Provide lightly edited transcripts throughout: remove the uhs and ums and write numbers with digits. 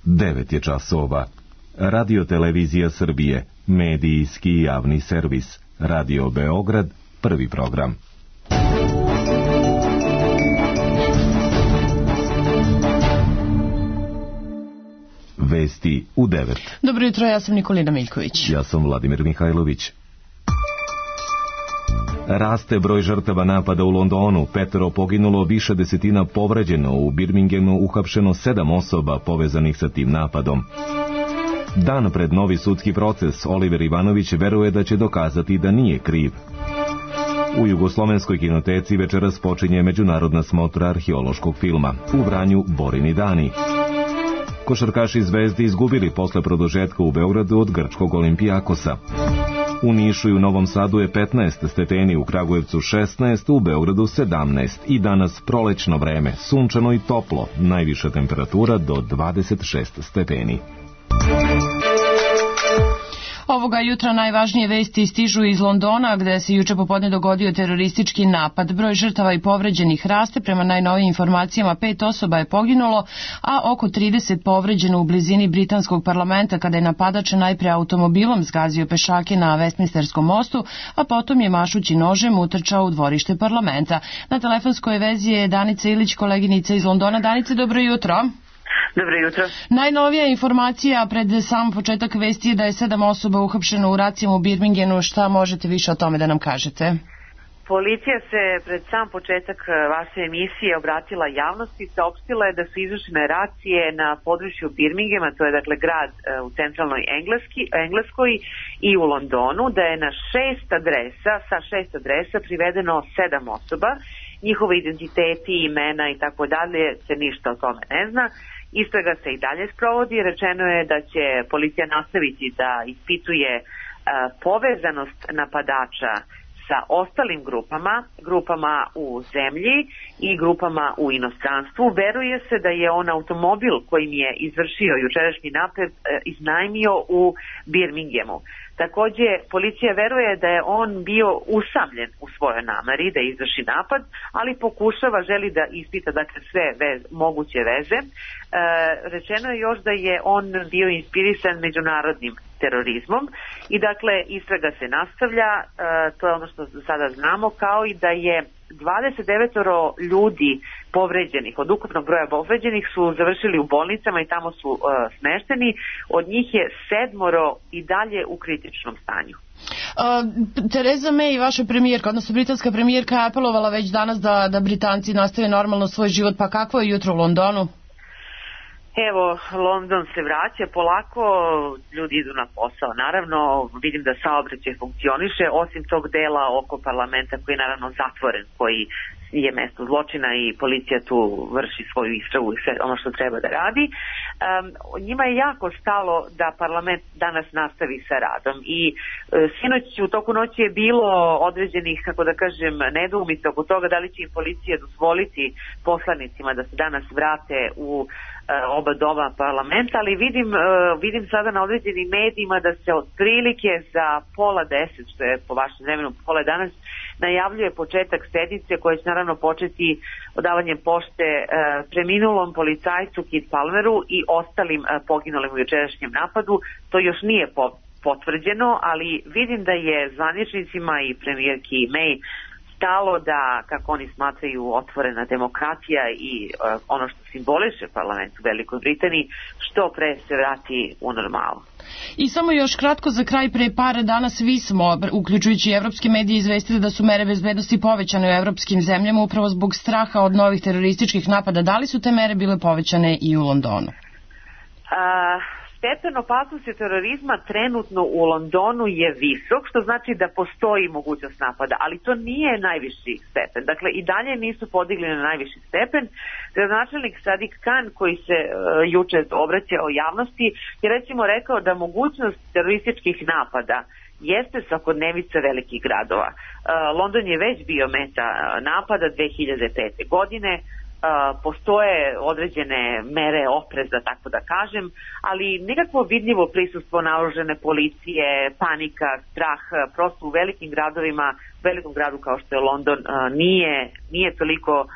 9 je časova. Radio Televizija Srbije, medijski javni servis. Radio Beograd, prvi program. Vesti u 9. Dobro jutro, ja sam Nikolina Miljković. Ja sam Vladimir Mihajlović. Raste broj žrtava napada u Londonu, 5 poginulo, više desetina povređeno, u Birminghamu uhapšeno 7 osoba povezanih sa tim napadom. Dan pred novi sudski proces, Oliver Ivanović veruje da će dokazati da nije kriv. U Jugoslovenskoj kinoteci večeras počinje međunarodna smotra arheološkog filma. U Vranju Borini dani. Košarkaši Zvezde izgubili posle produžetka u Beogradu od grčkog Olimpijakosa. U Nišu i u Novom Sadu je 15 stepeni, u Kragujevcu 16, u Beogradu 17 i danas prolećno vreme, sunčano i toplo, najviša temperatura do 26 stepeni. Ovoga jutra najvažnije vesti stižu iz Londona, gde se juče popodne dogodio teroristički napad. Broj žrtava i povređenih raste, prema najnovijim informacijama 5 osoba je poginulo, a oko 30 povređeno u blizini britanskog parlamenta kada je napadač najpre automobilom zgazio pešake na Westminsterskom mostu, a potom je mašući nožem utrčao u dvorište parlamenta. Na telefonskoj vezi je Danica Ilić, koleginica iz Londona. Danice, dobro jutro. Dobro jutro. Najnovija informacija pred sam početak vesti je da je 7 osoba uhapšeno u racijama u Birminghamu. Šta možete više o tome da nam kažete? Policija se pred sam početak vaše emisije obratila javnosti, saopštila je da su izvršene racije na području Birminghama, to je dakle grad u centralnoj Engleskoj i u Londonu, da je na 6 adresa privedeno 7 osoba. Njihove identiteti, imena i tako dalje se ništa o tome ne zna. Istraga se i dalje sprovodi. Rečeno je da će policija nastaviti da ispituje povezanost napadača sa ostalim grupama u zemlji i grupama u inostranstvu. Veruje se da je on automobil kojim je izvršio jučerašnji napad iznajmio u Birminghamu. Takođe, policija veruje da je on bio usamljen u svojoj nameri da izvrši napad, ali želi da ispita dakle sve moguće veze. Rečeno je još da je on bio inspirisan međunarodnim terorizmom i dakle istraga se nastavlja, to je ono što sada znamo, kao i da je 29 ljudi povređenih, od ukupnog broja povređenih su završili u bolnicama i tamo su smešteni, od njih je 7 i dalje u kritičnom stanju. Theresa May, vaša premijerka, odnosno britanska premijerka, je apelovala već danas da Britanci nastave normalno svoj život, pa kakvo je jutro u Londonu? Evo, London se vraća polako, ljudi idu na posao. Naravno, vidim da saobraćaj funkcioniše, osim tog dela oko parlamenta koji je naravno zatvoren, koji je mesto zločina i policija tu vrši svoju istragu i sve ono što treba da radi. Njima je jako stalo da parlament danas nastavi sa radom i sinoć u toku noći je bilo određenih, kako da kažem, nedoumica oko toga da li će im policija dozvoliti poslanicima da se danas vrate u oba doma parlamenta, ali vidim sada na određenim medijima da se otprilike za 9:30, što je po vašem vremenu 9:30, najavljuje početak sednice koja će naravno početi odavanjem pošte preminulom policajcu Keith Palmeru i ostalim poginulim u jučerašnjem napadu. To još nije potvrđeno, ali vidim da je zvaničnicima i premijerki May stalo da, kako oni smatraju, otvorena demokratija i ono što simboliše parlament u Velikoj Britaniji što pre se vrati u normalu. I samo još kratko za kraj, pre par dana svi smo, uključujući i evropske medije, izvestili da su mere bezbednosti povećane u evropskim zemljama upravo zbog straha od novih terorističkih napada. Da li su te mere bile povećane i u Londonu? Stepen opasnosti terorizma trenutno u Londonu je visok, što znači da postoji mogućnost napada, ali to nije najviši stepen. Dakle, i dalje nisu podigli na najviši stepen. Gradonačelnik Sadiq Khan, koji se juče obraćao javnosti, je recimo rekao da mogućnost terorističkih napada jeste svakodnevica velikih gradova. London je već bio meta napada 2005. godine, postoje određene mere opreza, tako da kažem, ali nekakvo vidljivo prisustvo naoružane policije, panika, strah, prosto u velikim gradovima, velikom gradu kao što je London, nije toliko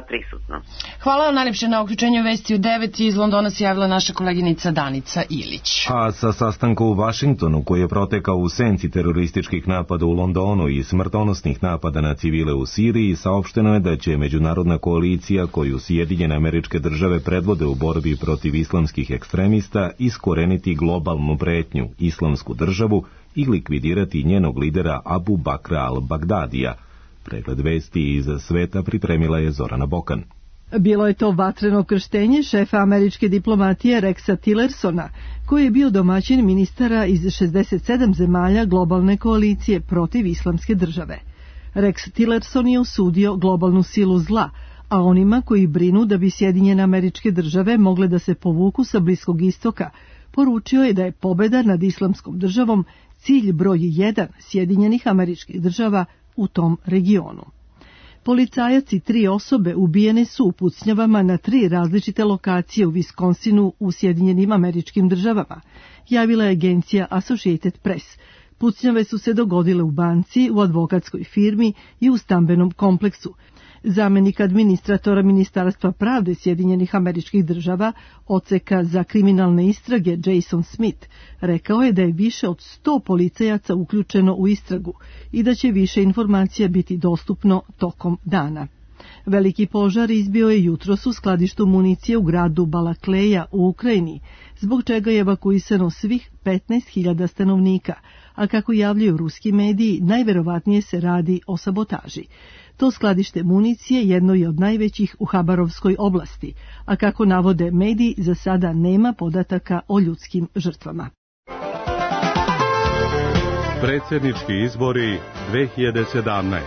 prisutno. Hvala vam najljepše na uključenju vesti u 9. Iz Londona se javila naša koleginica Danica Ilić. A sa sastanka u Vašingtonu, koji je protekao u senci terorističkih napada u Londonu i smrtonosnih napada na civile u Siriji, saopšteno je da će međunarodna koalicija koju Sjedinjene Američke Države predvode u borbi protiv islamskih ekstremista iskoreniti globalnu pretnju, Islamsku državu, i likvidirati njenog lidera Abu Bakra al-Bagdadija. Pregled vesti iz sveta pripremila je Zorana Bokan. Bilo je to vatreno krštenje šefa američke diplomatije Rexa Tillersona, koji je bio domaćin ministara iz 67 zemalja globalne koalicije protiv Islamske države. Rex Tillerson je osudio globalnu silu zla, a onima koji brinu da bi Sjedinjene Američke Države mogle da se povuku sa Bliskog istoka, poručio je da je pobeda nad Islamskom državom cilj broj 1 Sjedinjenih Američkih Država u tom regionu. Policajac i 3 osobe ubijene su u pucnjavama na 3 različite lokacije u Viskonsinu u Sjedinjenim Američkim Državama, javila je agencija Associated Press. Pucnjave su se dogodile u banci, u advokatskoj firmi i u stambenom kompleksu. Zamenik administratora Ministarstva pravde Sjedinjenih Američkih Država, odseka za kriminalne istrage Jason Smith, rekao je da je više od 100 policajaca uključeno u istragu i da će više informacija biti dostupno tokom dana. Veliki požar izbio je jutros u skladištu municije u gradu Balakleja u Ukrajini, zbog čega je evakuisano svih 15.000 stanovnika, a kako javljaju ruski mediji, najverovatnije se radi o sabotaži. To skladište municije jedno je od najvećih u Habarovskoj oblasti, a kako navode mediji, za sada nema podataka o ljudskim žrtvama. Predsjednički izbori 2017.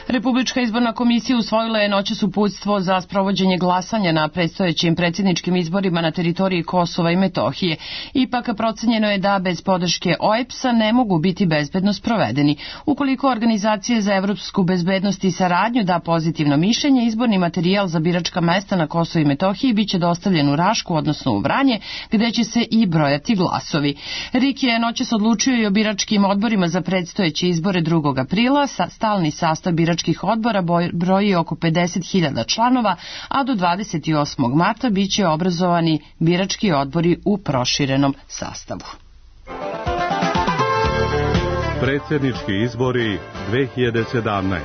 Republička izborna komisija usvojila je noćas uputstvo za sprovođenje glasanja na predstojećim predsjedničkim izborima na teritoriji Kosova i Metohije. Ipak procenjeno je da bez podrške OEBS-a ne mogu biti bezbedno sprovedeni. Ukoliko Organizacije za evropsku bezbednost i saradnju da pozitivno mišljenje, izborni materijal za biračka mesta na Kosovu i Metohiji biće dostavljen u Rašku, odnosno u Vranje, gde će se i brojati glasovi. RIK je noćas odlučio i o biračkim odborima za predstojeće izbore 2. aprila. Stalni sastav biračkih odbora broji oko 50.000 članova, a do 28. marta biće obrazovani birački odbori u proširenom sastavu. Predsjednički izbori 2017.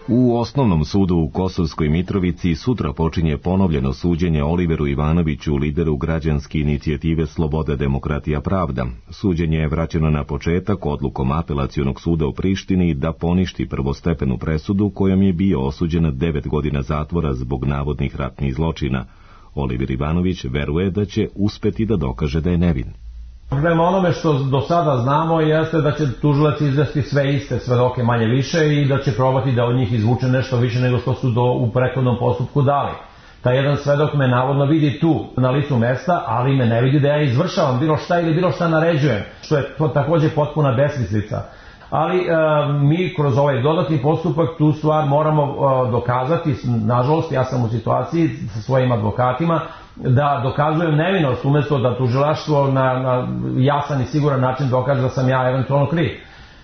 U Osnovnom sudu u Kosovskoj Mitrovici sutra počinje ponovljeno suđenje Oliveru Ivanoviću, lideru građanske inicijative Sloboda, demokratija, pravda. Suđenje je vraćeno na početak odlukom Apelacionog suda u Prištini da poništi prvostepenu presudu kojom je bio osuđen 9 godina zatvora zbog navodnih ratnih zločina. Oliver Ivanović veruje da će uspeti da dokaže da je nevin. Prema onome što do sada znamo jeste da će tužilac izvesti sve iste svedoke manje više i da će probati da od njih izvuče nešto više nego što su u prethodnom postupku dali. Taj jedan svedok me navodno vidi tu na licu mesta, ali me ne vidi da ja izvršavam bilo šta ili bilo šta naređujem, što je to također potpuna besmislica. Ali mi kroz ovaj dodatni postupak tu stvar moramo dokazati, nažalost ja sam u situaciji sa svojim advokatima, da dokazujem nevinost umjesto da tužilaštvo na jasan i siguran način dokaže da sam ja eventualno kriv.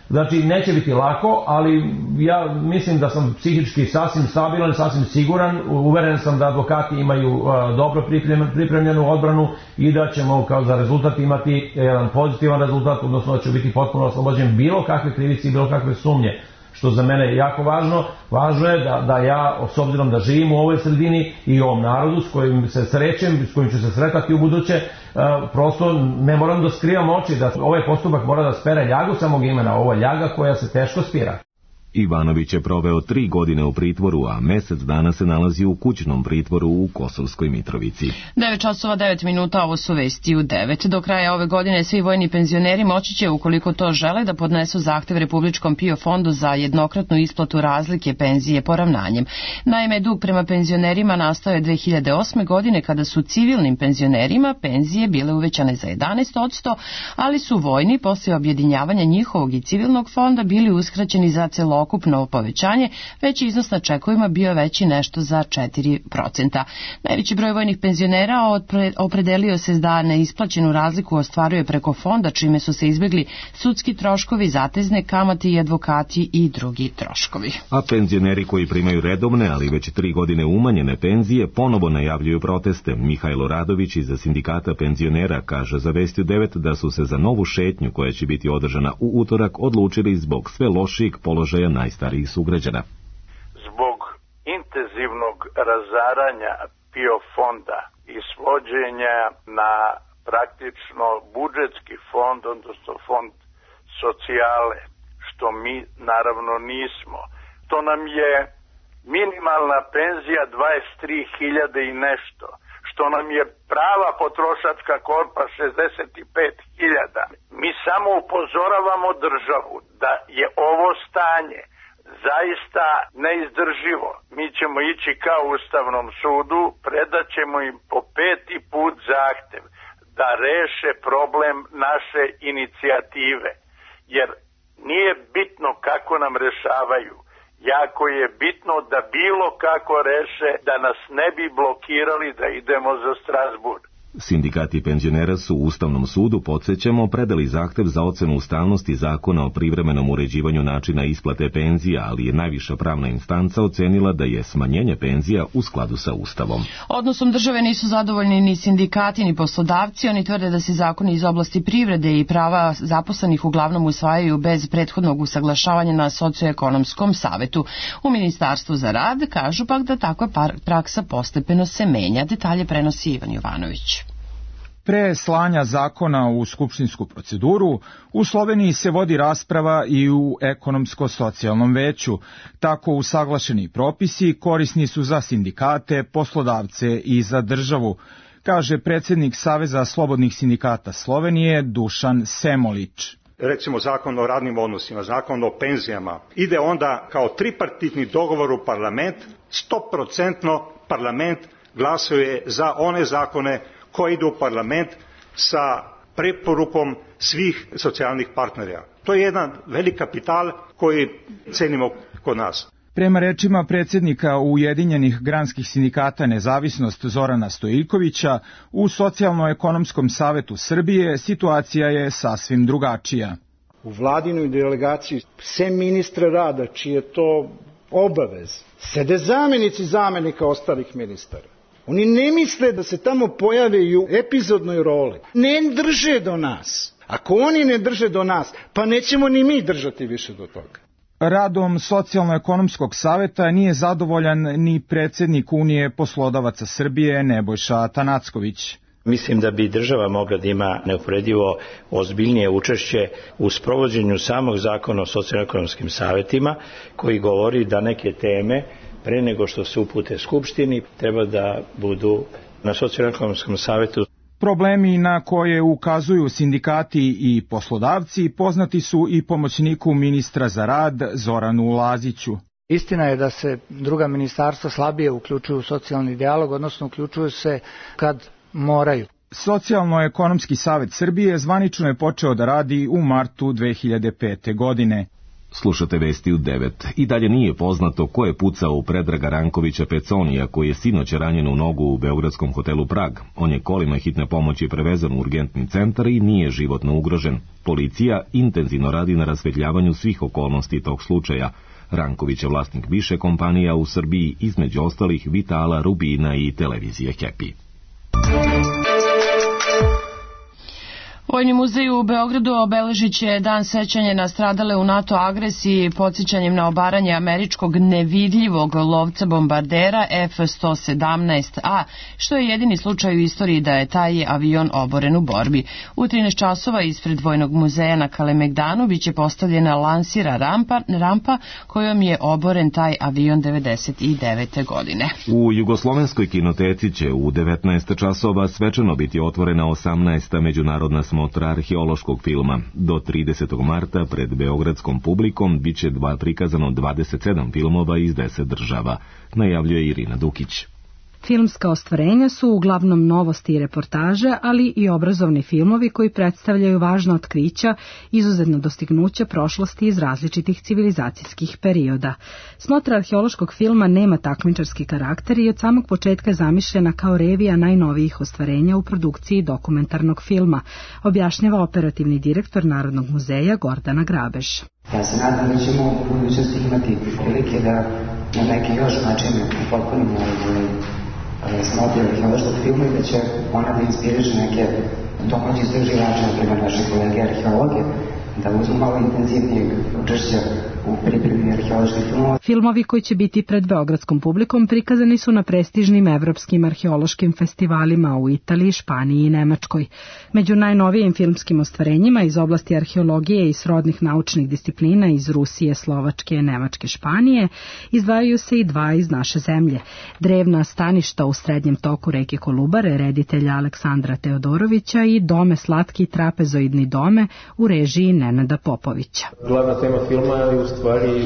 Znači, neće biti lako, ali ja mislim da sam psihički sasvim stabilan, sasvim siguran, uveren sam da advokati imaju dobro pripremljenu odbranu i da ćemo kao za rezultat imati jedan pozitivan rezultat, odnosno da će biti potpuno oslobođen bilo kakve krivice i bilo kakve sumnje. Što za mene je jako važno. Važno je da ja, s obzirom da živim u ovoj sredini i u ovom narodu s kojim se srećem, s kojim ću se sretati u buduće, prosto ne moram da skrivam oči, da ovaj postupak mora da spere ljagu samog imena, ovo je ljaga koja se teško spira. Ivanović je proveo 3 godine u pritvoru, a mjesec dana se nalazi u kućnom pritvoru u Kosovskoj Mitrovici. 9 časova 9 minuta, ovo su vesti u 9. Do kraja ove godine svi vojni penzioneri moći će, ukoliko to žele, da podnesu zahtev Republičkom PIO fondu za jednokratnu isplatu razlike penzije poravnanjem. Naime, dug prema penzionerima nastao je 2008. godine kada su civilnim penzionerima penzije bile uvećane za 11%, ali su vojni posle objedinjavanja njihovog i civilnog fonda bili uskraćeni za celokupno celokupno povećanje, već iznos na čekovima bio veći nešto za 4%. Najveći broj vojnih penzionera opredelio se da neisplaćenu razliku ostvaruje preko fonda, čime su se izbjegli sudski troškovi, zatezne kamate i advokati i drugi troškovi. A penzioneri koji primaju redovne, ali već 3 godine umanjene penzije, ponovo najavljuju proteste. Mihajlo Radović iz Sindikata penzionera kaže za Vestiju 9 da su se za novu šetnju koja će biti održana u utorak odlučili zbog sve lošijeg položaja najstarijih sugrađana. Zbog intenzivnog razaranja PIO fonda i svođenja na praktično budžetski fond, odnosno fond socijale, što mi naravno nismo. To nam je minimalna penzija 23.000 i nešto, što nam je prava potrošačka korpa 65.000. Mi samo upozoravamo državu da je ovo stanje zaista neizdrživo. Mi ćemo ići ka Ustavnom sudu, predat ćemo im po 5. put zahtev da reše problem naše inicijative, jer nije bitno kako nam rešavaju, jako je bitno da bilo kako reše, da nas ne bi blokirali da idemo za Strasburg. Sindikati penzionera su u Ustavnom sudu, podsjećamo, predali zahtev za ocenu ustavnosti zakona o privremenom uređivanju načina isplate penzija, ali je najviša pravna instanca ocenila da je smanjenje penzija u skladu sa Ustavom. Odnosom države nisu zadovoljni ni sindikati ni poslodavci. Oni tvrde da se zakoni iz oblasti privrede i prava zaposlenih uglavnom usvajaju bez prethodnog usaglašavanja na socioekonomskom savetu. U Ministarstvu za rad kažu pak da takva praksa postepeno se menja. Detalje prenosi Ivan Jovanović. Pre slanja zakona u skupštinsku proceduru, u Sloveniji se vodi rasprava i u ekonomsko-socijalnom veću. Tako usaglašeni propisi korisni su za sindikate, poslodavce i za državu, kaže predsjednik Saveza slobodnih sindikata Slovenije Dušan Semolić. Recimo zakon o radnim odnosima, zakon o penzijama, ide onda kao tripartitni dogovor u parlament, 100% parlament glasuje za one zakone koji idu u parlament sa preporukom svih socijalnih partnera. To je jedan velik kapital koji cenimo kod nas. Prema rečima predsjednika Ujedinjenih granskih sindikata Nezavisnost Zorana Stojiljkovića, u Socijalno-ekonomskom savetu Srbije situacija je sasvim drugačija. U vladinoj delegaciji, sem ministra rada, čiji je to obavez, sede zamenici zamenika ostalih ministara. Oni ne misle da se tamo pojave i u epizodnoj roli. Ne drže do nas. Ako oni ne drže do nas, pa nećemo ni mi držati više do toga. Radom Socijalno-ekonomskog saveta nije zadovoljan ni predsjednik Unije poslodavaca Srbije Nebojša Tanacković. Mislim da bi država mogla da ima neuporedivo ozbiljnije učešće u sprovođenju samog zakona o socijalno-ekonomskim savetima, koji govori da neke teme pre nego što se upute Skupštini treba da budu na socijalno-ekonomskom savetu. Problemi na koje ukazuju sindikati i poslodavci poznati su i pomoćniku ministra za rad Zoranu Laziću. Istina je da se druga ministarstva slabije uključuju u socijalni dijalog, odnosno uključuju se kad moraju. Socijalno-ekonomski savet Srbije zvanično je počeo da radi u martu 2005. godine. Slušate Vesti u 9. I dalje nije poznato ko je pucao u Predraga Rankovića Peconija, koji je sinoć ranjen u nogu u beogradskom hotelu Prag. On je kolima hitne pomoći prevezan u urgentni centar i nije životno ugrožen. Policija intenzivno radi na rasvetljavanju svih okolnosti tog slučaja. Ranković je vlasnik više kompanija u Srbiji, između ostalih Vitala, Rubina i televizije Happy. Vojni muzej u Beogradu obeležit će dan sećanja na stradale u NATO agresiji podsjećanjem na obaranje američkog nevidljivog lovca bombardera F-117A, što je jedini slučaj u istoriji da je taj avion oboren u borbi. U 13 časova ispred Vojnog muzeja na Kalemegdanu biće postavljena lansira rampa kojom je oboren taj avion 1999. godine. U Jugoslovenskoj kinoteci će u 19 časova svečano biti otvorena 18. međunarodna smotra arheološkog filma. Do 30. marta pred beogradskom publikom biće prikazano 27 filmova iz 10 država, najavljuje Irina Dukić. Filmska ostvarenja su uglavnom novosti i reportaže, ali i obrazovni filmovi koji predstavljaju važna otkrića, izuzetna dostignuća prošlosti iz različitih civilizacijskih perioda. Smotra arheološkog filma nema takmičarski karakter i od samog početka je zamišljena kao revija najnovijih ostvarenja u produkciji dokumentarnog filma, objašnjava operativni direktor Narodnog muzeja Gordana Grabež. Ja se nadam da ćemo u budućnosti imati prilike da na neki još način upotpunimo smotre arheološkog filma i da će ona da inspiriše neke domaće istraživače, na primjer naše kolege arheologe, da uzmu malo intenzivnijeg učešća u pripremi arheoloških filmova. Filmovi koji će biti pred beogradskom publikom prikazani su na prestižnim evropskim arheološkim festivalima u Italiji, Španiji i Nemačkoj. Među najnovijim filmskim ostvarenjima iz oblasti arheologije i srodnih naučnih disciplina iz Rusije, Slovačke, Nemačke, Španije izdvajaju se i dva iz naše zemlje. Drevna staništa u srednjem toku reke Kolubare reditelja Aleksandra Teodorovića i Dome slatki trapezoidni dome u režiji Nenada Popovića. Glavna tema filma je u stvari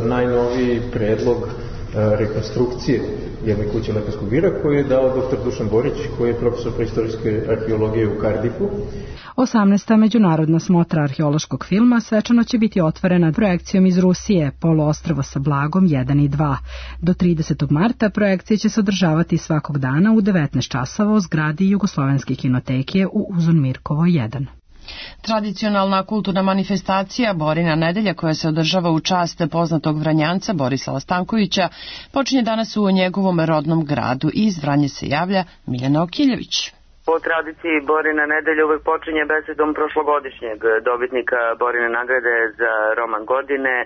najnoviji predlog rekonstrukcije jedne kuće lekarskog bira koju je dao dr. Dušan Borić, koji je profesor preistorijske arheologije u Kardiffu. 18. međunarodna smotra arheološkog filma svečano će biti otvorena projekcijom iz Rusije, Poluostrvo sa Blagom 1 i 2. Do 30. marta projekcije će se održavati svakog dana u 19 časova u zgradi Jugoslovenske kinoteke u Uzun Mirkovo 1. Tradicionalna kulturna manifestacija Borina nedelja, koja se održava u čast poznatog Vranjanca Borislava Stankovića, počinje danas u njegovom rodnom gradu. Iz Vranje se javlja Miljana Okiljević. Po tradiciji Borina nedelja uvek počinje besedom prošlogodišnjeg dobitnika Borine nagrade za roman godine,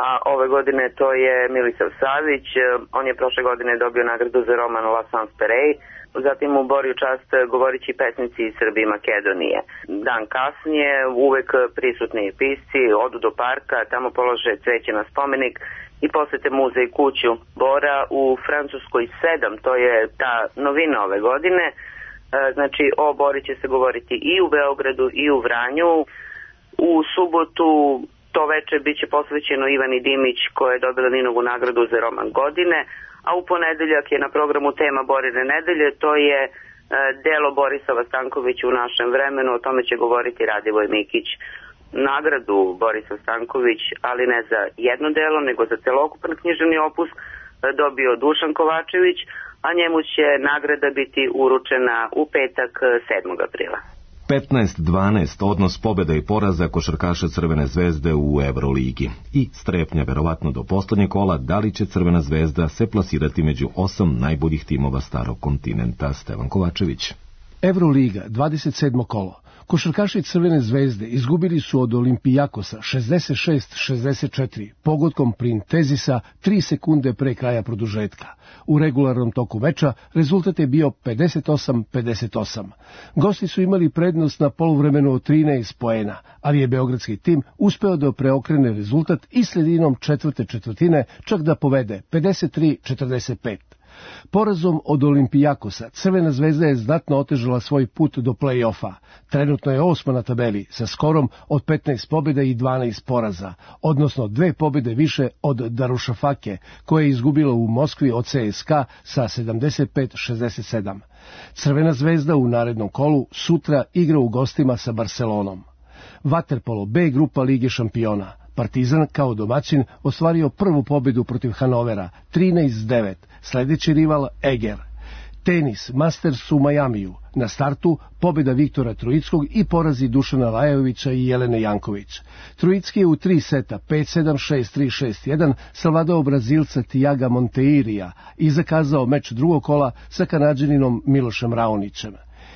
a ove godine to je Milisav Savić. On je prošle godine dobio nagradu za roman La Sans Perey. Zatim u Boriju čast govorići pesnici iz Srbije i Makedonije. Dan kasnije uvek prisutni pisci odu do parka, tamo polože cveće na spomenik i posete muzej kuću Bora. U Francuskoj 7, to je ta novina ove godine. Znači o Bori će se govoriti i u Beogradu i u Vranju. U subotu to veče biće posvećeno Ivani Dimić, koja je dobila Ninovu nagradu za roman godine. A u ponedeljak je na programu tema Borine nedelje, to je delo Borislava Stankovića u našem vremenu, o tome će govoriti Radivoj Mikić. Nagradu Borislav Stanković, ali ne za jedno delo, nego za celokupan književni opus, dobio Dušan Kovačević, a njemu će nagrada biti uručena u petak 7. aprila. 15-12 odnos pobjeda i poraza košarkaša Crvene zvezde u Euroligi. I strepnja verovatno do poslednjeg kola da li će Crvena zvezda se plasirati među 8 najboljih timova starog kontinenta. Stevan Kovačević. Euroliga, 27. kolo. Košarkaši Crvene zvezde izgubili su od Olimpijakosa 66-64 pogodkom Printezisa 3 sekunde pre kraja produžetka. U regularnom toku meča rezultat je bio 58-58. Gosti su imali prednost na poluvremenu od 13 poena, ali je beogradski tim uspeo da preokrene rezultat i sredinom četvrte četvrtine čak da povede 53-45. Porazom od Olimpijakosa Crvena zvezda je znatno otežala svoj put do play-offa. Trenutno je 8. na tabeli sa skorom od 15 pobjeda i 12 poraza, odnosno 2 pobjede više od Darušafake, koje je izgubila u Moskvi od CSKA sa 75-67. Crvena zvezda u narednom kolu sutra igra u gostima sa Barcelonom. Vaterpolo B grupa Lige šampiona. Partizan kao domaćin ostvario prvu pobjedu protiv Hanovera, 13-9, sljedeći rival Eger. Tenis, Masters u Majamiju. Na startu pobjeda Viktora Trojickog i porazi Dušana Lajovića i Jelene Janković. Trojicki je u 3 seta, 5-7, 6-3, 6-1, savladao Brazilca Tiaga Monteirija i zakazao meč drugog kola sa Kanađaninom Milošem Raonićem.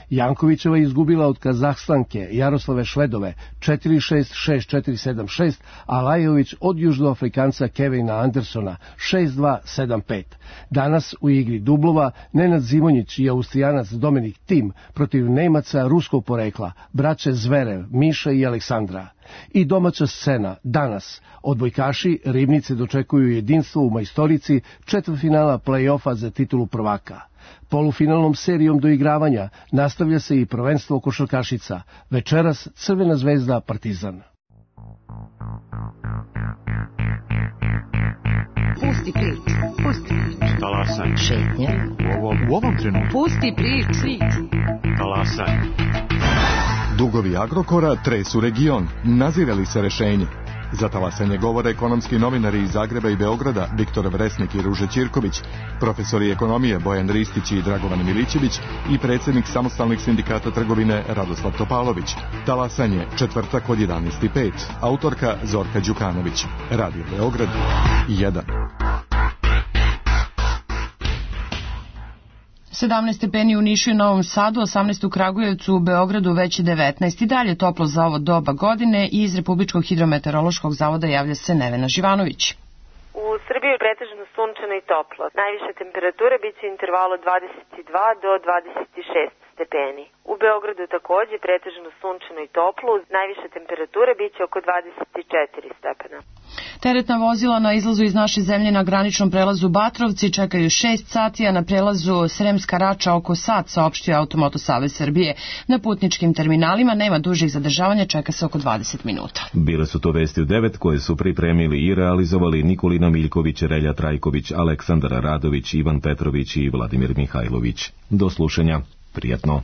Jankovićeva je izgubila od Kazahstanke Jaroslave Švedove 4-6, 6-4, 7-6, a Lajović od Južnoafrikanca Kevina Andersona 6-2, 7-5. Danas u igri dublova Nenad Zimonjić i Austrijanac Dominik Tim protiv Nemaca ruskog porekla, braće Zverev, Miša i Aleksandra. I domaća scena, danas, odbojkaši Ribnice dočekuju jedinstvo u majstorici četvrtfinala play-offa za titulu prvaka. Polufinalnom serijom doigravanja nastavlja se i prvenstvo košarkašica. Večeras Crvena zvezda Partizan. Pusti prič, pusti prič. Talasaj. Šetnja. U ovom trenutku. Pusti priču. Talasaj. Dugovi Agrokora tresu region. Nazire li se rešenje? Za talasanje govore ekonomski novinari iz Zagreba i Beograda Viktor Vresnik i Ruže Ćirković, profesori ekonomije Bojan Ristić i Dragovan Milićević i predsjednik samostalnih sindikata trgovine Radoslav Topalović. Talasanje, četvrtak od 11:05. Autorka Zorka Đukanović. Radio Beograd 1. 17 stepeni u Nišu i Novom Sadu, 18 u Kragujevcu, u Beogradu već 19. I dalje toplo za ovo doba godine i iz Republičkog hidrometeorološkog zavoda javlja se Nevena Živanović. U Srbiji je pretežno sunčano i toplo. Najviše temperature biće u intervalu 22 do 26 stepeni. U Beogradu takođe pretežno sunčano i toplo, najviše temperature biće oko 24 stepena. Teretna vozila na izlazu iz naše zemlje na graničnom prelazu Batrovci čekaju 6 sati, a na prelazu Sremska Rača oko sat, saopštio Automoto Savez Srbije. Na putničkim terminalima nema dužih zadržavanja, čeka se oko 20 minuta. Bile su to vesti u 9 koje su pripremili i realizovali Nikolina Miljković, Relja Trajković, Aleksandar Radović, Ivan Petrović i Vladimir Mihajlović. Do slušanja. Prijatno.